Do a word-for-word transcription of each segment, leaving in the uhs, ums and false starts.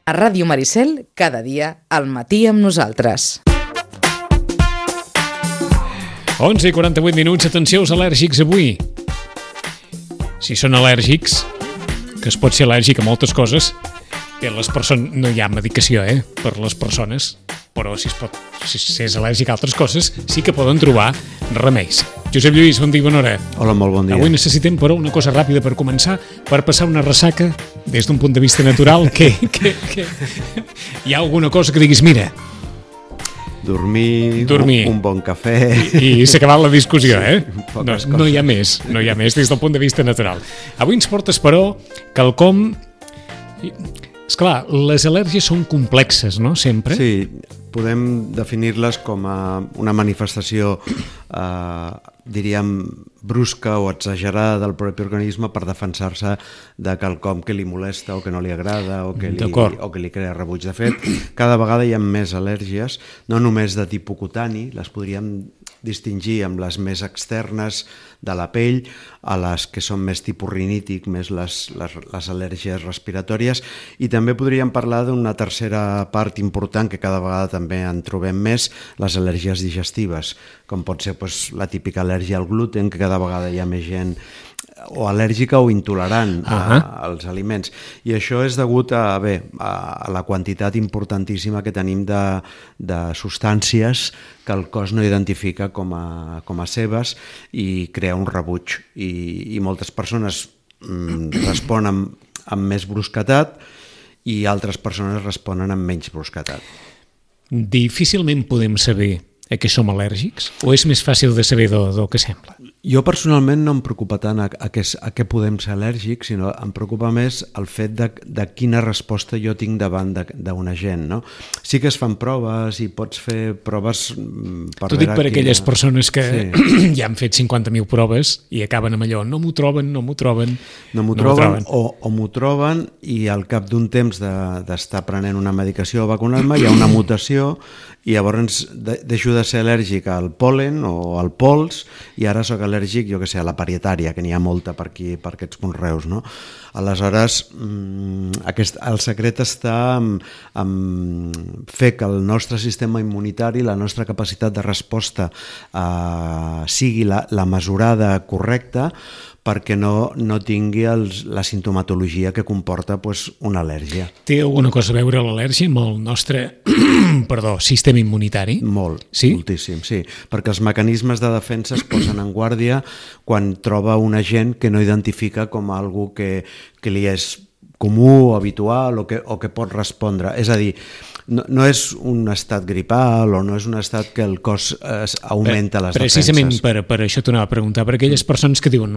A Ràdio Maricel, cada dia, al matí amb nosaltres. onze i quaranta-vuit minuts, atenció als al·lèrgics avui. Si són al·lèrgics, que es pot ser al·lèrgic a moltes coses, per les persones no hi ha medicació, eh, per les persones, però si es pot, si és al·lèrgic a altres coses, sí que poden trobar remeis. Josep Lluís, bon dia, bona hora. Hola, molt bon dia. Avui necessitem, però, una cosa ràpida per començar, per passar una ressaca des d'un punt de vista natural, que, que, que hi ha alguna cosa que diguis, mira... Dormir, Dormir. Un, un bon cafè... I, i s'ha acabat la discussió, eh? Sí, no, no hi ha més, no hi ha més des del punt de vista natural. Avui ens portes, però, quelcom... Esclar, les al·lèrgies són complexes, no?, sempre. Sí, podem definir-les com a una manifestació, eh, diríem, brusca o exagerada del propi organisme per defensar-se de quelcom que li molesta o que no li agrada o que li, o que li crea rebuig. De fet, cada vegada hi ha més al·lèrgies, no només de tipus cutani, les podríem distingir amb les més externes de la pell, a les que són més tipus rinític, més les, les, les al·lèrgies respiratòries, i també podríem parlar d'una tercera part important que cada vegada també en trobem més, les al·lèrgies digestives, com pot ser doncs, la típica al·lèrgia al gluten, que cada vegada hi ha més gent o al·lèrgica o intolerant a, uh-huh. als aliments. I això és degut a, bé, a la quantitat importantíssima que tenim de, de substàncies que el cos no identifica com a, com a seves i crea un rebuig. I, i moltes persones mm, responen amb, amb més brusquetat i altres persones responen amb menys brusquetat. Difícilment podem saber a què som al·lèrgics? O és més fàcil de saber del, del que sembla? Jo personalment no em preocupa tant a, a, què, a què podem ser al·lèrgics, sinó em preocupa més el fet de, de quina resposta jo tinc davant d'un agent, no? Sí que es fan proves i pots fer proves per T'ho dic per quina... aquelles persones que sí. ja han fet cinquanta mil proves i acaben amb allò, no m'ho troben, no m'ho troben... No m'ho no troben, troben. o, o m'ho troben i al cap d'un temps d'estar de, prenent una medicació o vacunar-me hi ha una mutació i llavors de, deixo de ser al·lèrgic al pol·len o al pols i ara sóc al·lèrgic, jo que sé, a la parietària, que n'hi ha molta per aquí, per aquests conreus, no? Aleshores, aquest, el secret està en, en fer que el nostre sistema immunitari, la nostra capacitat de resposta eh, sigui la, la mesurada correcta perquè no, no tingui els, la sintomatologia que comporta pues, una al·lèrgia. Té alguna cosa a veure l'al·lèrgia amb el nostre perdó, sistema immunitari? Molt, sí? moltíssim, sí. Perquè els mecanismes de defensa es posen en guàrdia quan troba un agent que no identifica com a algú que, que li és comú o habitual o que, o que pot respondre. És a dir, no, no és un estat gripal o no és un estat que el cos eh, augmenta les Precisament defenses. Per, per això t'ho anava a preguntar, per aquelles persones que diuen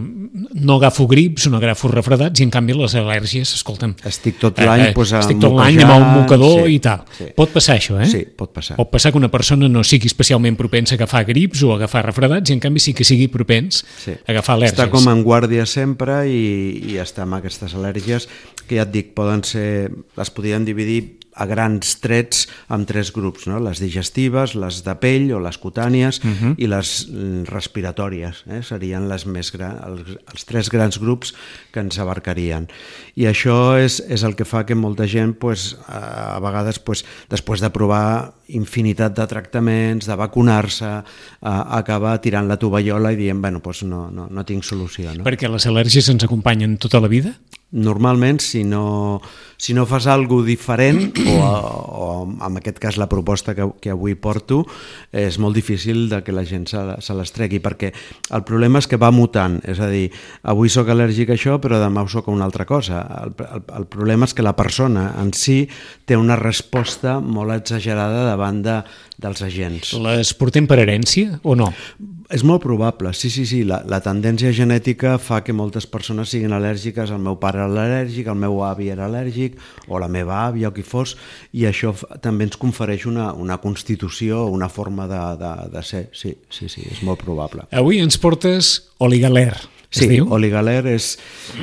no agafo grips, no agafo refredats i en canvi les al·lèrgies, escolta'm... Estic tot l'any eh, pues, estic tot l'any amb el mocador sí, i tal. Sí. Pot passar això, eh? Sí, pot passar. Pot passar que una persona no sigui especialment propensa a agafar grips o a agafar refredats i en canvi sí que sigui propens sí. a agafar al·lèrgies. Està com en guàrdia sempre i, i està amb aquestes al·lèrgies que ja et dic, poden ser, les podríem dividir a grans trets amb tres grups, no? Les digestives, les de pell o les cutànies uh-huh. i les respiratòries, eh? Serien les més gran, els, els tres grans grups que ens abarcarien. I això és, és el que fa que molta gent pues, a vegades pues, després de provar infinitat de tractaments, de vacunar-se, eh, acaba tirant la tovallola i dient bueno, pues no, no, no tinc solució. No? Perquè les al·lèrgies ens acompanyen tota la vida? Normalment, si no, si no fas alguna cosa diferent, o, o en aquest cas la proposta que, que avui porto, és molt difícil de que la gent se, se les tregui, perquè el problema és que va mutant, és a dir, avui sóc al·lèrgic a això, però demà ho sóc a una altra cosa. El, el, el problema és que la persona en si té una resposta molt exagerada davant de, dels agents. Les portem per herència o no? És molt probable, sí, sí, sí. La, la tendència genètica fa que moltes persones siguin al·lèrgiques. El meu pare era al·lèrgic, el meu avi era al·lèrgic, o la meva àvia, o qui fos, i això també ens confereix una, una constitució, una forma de, de, de ser. Sí, sí, sí, és molt probable. Avui ens portes Oligaler. Sí, oligaler és,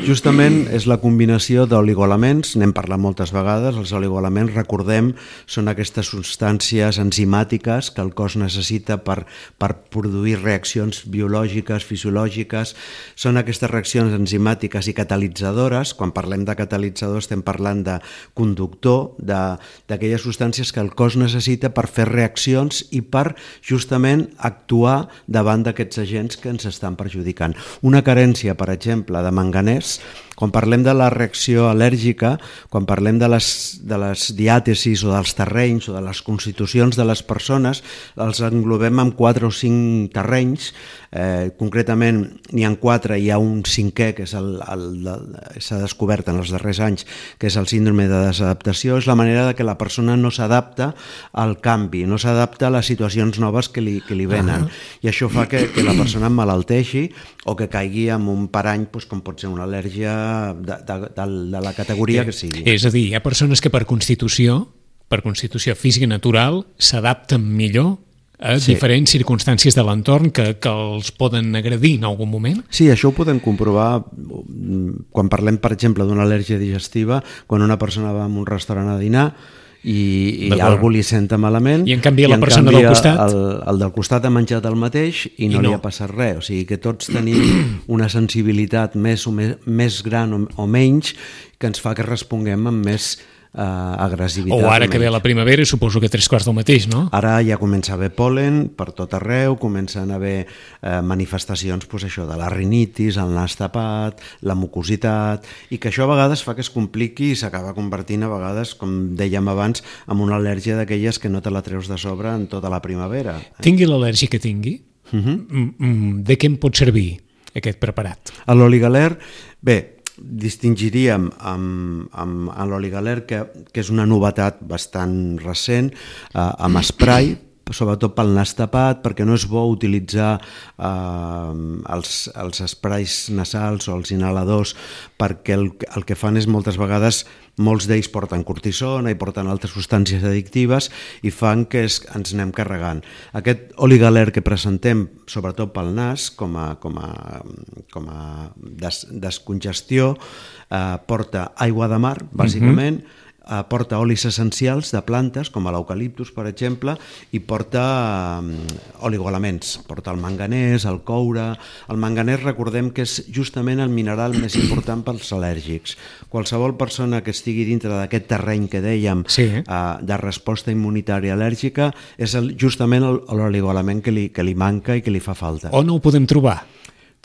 justament és la combinació d'oligoelements, n'hem parlat moltes vegades, els oligoelements, recordem, són aquestes substàncies enzimàtiques que el cos necessita per, per produir reaccions biològiques, fisiològiques, són aquestes reaccions enzimàtiques i catalitzadores. Quan parlem de catalitzadors estem parlant de conductor, d'aquelles substàncies que el cos necessita per fer reaccions i per justament actuar davant d'aquests agents que ens estan perjudicant. Una carència, per exemple, de manganès, quan parlem de la reacció al·lèrgica, quan parlem de les, de les diàtesis o dels terrenys o de les constitucions de les persones, els englobem en quatre o cinc terrenys. Eh, concretament n'hi ha quatre, hi ha un cinquè que és el, el, el, s'ha descobert en els darrers anys, que és el síndrome de desadaptació. És la manera de que la persona no s'adapta al canvi, no s'adapta a les situacions noves que li, que li venen. Uh-huh. I això fa que, que la persona emmalalteixi o que caigui en un parany, doncs, com pot ser una al·lèrgia de, de, de, de la categoria que sigui. És a dir, hi ha persones que per constitució, per constitució física natural, s'adapten millor a sí. diferents circumstàncies de l'entorn que, que els poden agredir en algun moment? Sí, això ho podem comprovar quan parlem, per exemple, d'una al·lèrgia digestiva, quan una persona va a un restaurant a dinar i, i algú li senta malament i en canvi la persona del costat el, el del costat ha menjat el mateix i no, I no li ha passat res, o sigui que tots tenim una sensibilitat més, o més, més gran o, o menys que ens fa que responguem amb més Uh, agressivitat. O ara que ve la primavera, suposo que tres quarts del mateix, no? Ara ja comença a haver pol·len per tot arreu, comencen a haver uh, manifestacions, pues, això, de la rinitis, el nas tapat, la mucositat, i que això a vegades fa que es compliqui i s'acaba convertint a vegades, com dèiem abans, en una al·lèrgia d'aquelles que no te la treus de sobre en tota la primavera. Tingui l'al·lèrgia que tingui, uh-huh. de què em pot servir aquest preparat? L'oligaler, bé, distingiríem amb, amb, amb l'oligaler, que, que és una novetat bastant recent, eh, amb spray, sobretot pel nas tapat, perquè no és bo utilitzar eh, els, els sprays nasals o els inhaladors, perquè el, el que fan és moltes vegades, molts d'ells porten cortisona i porten altres substàncies addictives i fan que es, ens anem carregant. Aquest oligaler que presentem, sobretot pel nas, com a, com a, com a des, descongestió, eh, porta aigua de mar, bàsicament, mm-hmm. porta olis essencials de plantes, com l'eucaliptus, per exemple, i porta oligoelements. Porta el manganès, el coure... El manganès, recordem que és justament el mineral més important pels al·lèrgics. Qualsevol persona que estigui dintre d'aquest terreny que dèiem, sí. eh, de resposta immunitària al·lèrgica, és el, justament l'oligoelement que li, que li manca i que li fa falta. On ho podem trobar?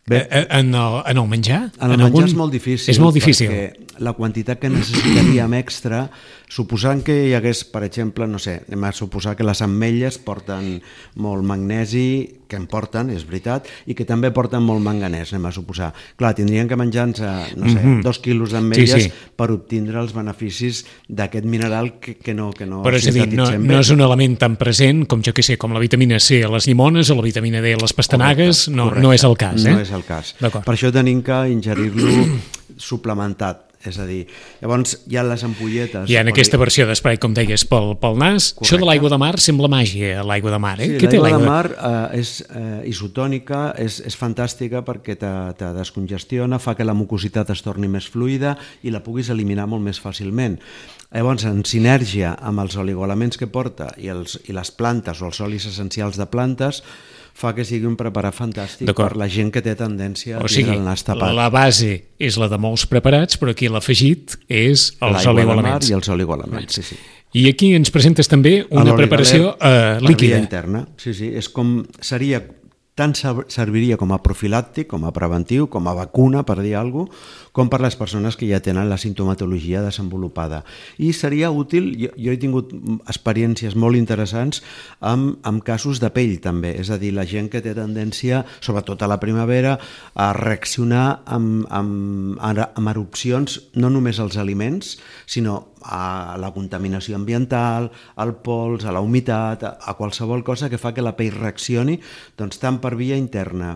Bé, en, el, en el menjar? En el en menjar algun... és molt difícil, és molt difícil, perquè la quantitat que necessitaríem extra, suposant que hi hagués, per exemple, no sé, anem a suposar que les ametlles porten molt magnesi, que en porten, és veritat, i que també porten molt manganès, anem a suposar. Clar, tindrien que menjar-nos, no sé, mm-hmm. dos quilos d'ametlles sí, sí. per obtindre els beneficis d'aquest mineral que, que no, que no Però és a dir, no, no és un element tan present com, jo què sé, com la vitamina C a les llimones o la vitamina D a les pastanagues, correcte, no, correcte. no és el cas, eh? No és el cas. Per això tenim que ingerir-lo suplementat. És a dir, llavors hi ha les ampolletes... Hi ha aquesta versió d'esprai, com deies, pel, pel nas. Correcte. Això de l'aigua de mar sembla màgia, l'aigua de mar. Eh? Sí, Què l'aigua té de mar eh, és eh, isotònica, és, és fantàstica perquè te, te descongestiona, fa que la mucositat es torni més fluida i la puguis eliminar molt més fàcilment. Llavors, en sinergia amb els oligoelements que porta i, els, i les plantes o els olis essencials de plantes, fa que sigui un preparat fantàstic per la gent que té tendència a tindre el nas tapat. La base és la de molts preparats, però aquí l'afegit és els oligoelements. I els oligoelements, sí, sí. I aquí ens presentes també una preparació eh, líquida. Per via interna, sí, sí. És com, seria, tant serviria com a profilàctic, com a preventiu, com a vacuna, per dir alguna cosa, com per les persones que ja tenen la sintomatologia desenvolupada. I seria útil, jo, jo he tingut experiències molt interessants amb, amb casos de pell també, és a dir, la gent que té tendència, sobretot a la primavera, a reaccionar amb, amb, amb erupcions, no només als aliments, sinó a la contaminació ambiental, al pols, a la humitat, a qualsevol cosa que fa que la pell reaccioni, doncs tant per via interna,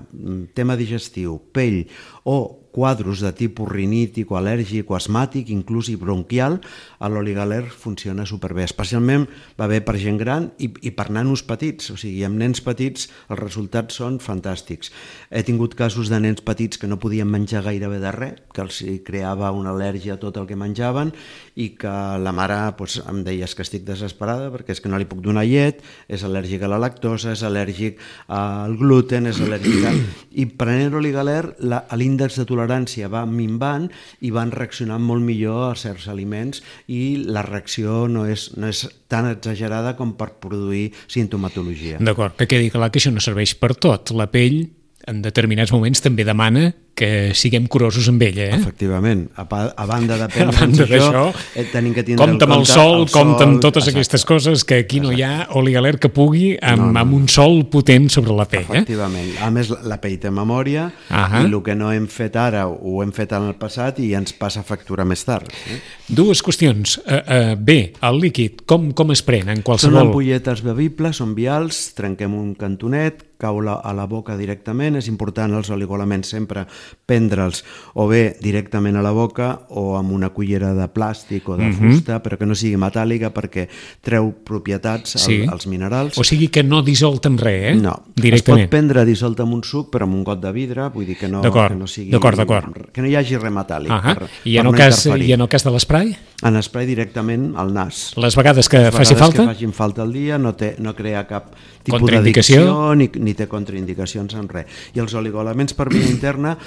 tema digestiu, pell, o quadros de tipus rinític o al·lèrgic o asmàtic, inclús i bronquial, l'Oligaler funciona superbé. Especialment va bé per gent gran i, i per nanos petits, o sigui, amb nens petits els resultats són fantàstics. He tingut casos de nens petits que no podien menjar gairebé de res, que els creava una al·lèrgia a tot el que menjaven i que la mare doncs, em deia que estic desesperada perquè és que no li puc donar llet, és al·lèrgic a la lactosa, és al·lèrgic al gluten, és al·lèrgic a... I prenent Oligaler l'índex de tolerància va minvant i van reaccionant molt millor a certs aliments i la reacció no és, no és tan exagerada com per produir sintomatologia. D'acord, que quedi clar que això no serveix per tot. La pell en determinats moments també demana que siguem curosos amb ella, eh? Efectivament. A, pa, a banda de prendre'ns això, eh, tenim que tindre compte amb el sol, el compte amb totes exacte. Aquestes coses, que aquí no exacte. hi ha Oligaler que pugui amb, no, no. amb un sol potent sobre la pell. Efectivament. Eh? A més, la pell té memòria uh-huh. i el que no hem fet ara ho hem fet en el passat i ens passa factura més tard. Eh? Dues qüestions. Uh, uh, bé, el líquid, com, com es pren en qualsevol... Són ampolletes bevibles, són vials, trenquem un cantonet, cau la, a la boca directament. És important els oligoelements sempre prendre'ls o bé directament a la boca o amb una cullera de plàstic o de uh-huh. fusta, però que no sigui metàl·lica perquè treu propietats sí. al, als minerals. O sigui que no dissolt en res, eh? No, directament. Es pot prendre dissolt en un suc però amb un got de vidre, vull dir que no, que no sigui... D'acord, d'acord. Que no hi hagi res metàl·lic. Uh-huh. per, I, en per no cas, interferir. I en el cas de l'esprai? En esprai directament al nas. Les vegades que Les faci vegades falta? que facin falta al dia, no, té, no crea cap tipus contraindicació d'addicció ni, ni té contraindicacions en res. I els oligoelements per via interna,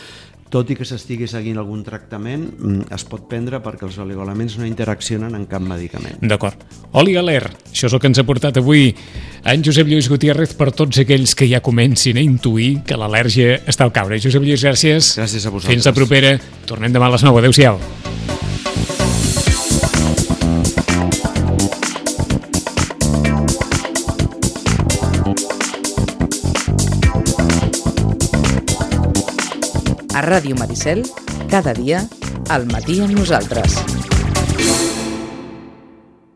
tot i que s'estigui seguint algun tractament, es pot prendre perquè els oligoelements no interaccionen en cap medicament. D'acord. Oligaler, això és el que ens ha portat avui en Josep Lluís Gutiérrez per tots aquells que ja comencin a intuir que l'al·lèrgia està al caure. Josep Lluís, gràcies. Gràcies a vosaltres. Fins la propera. Tornem demà a les nou. Adéu-siau. A Ràdio Maricel, cada dia, al matí amb nosaltres.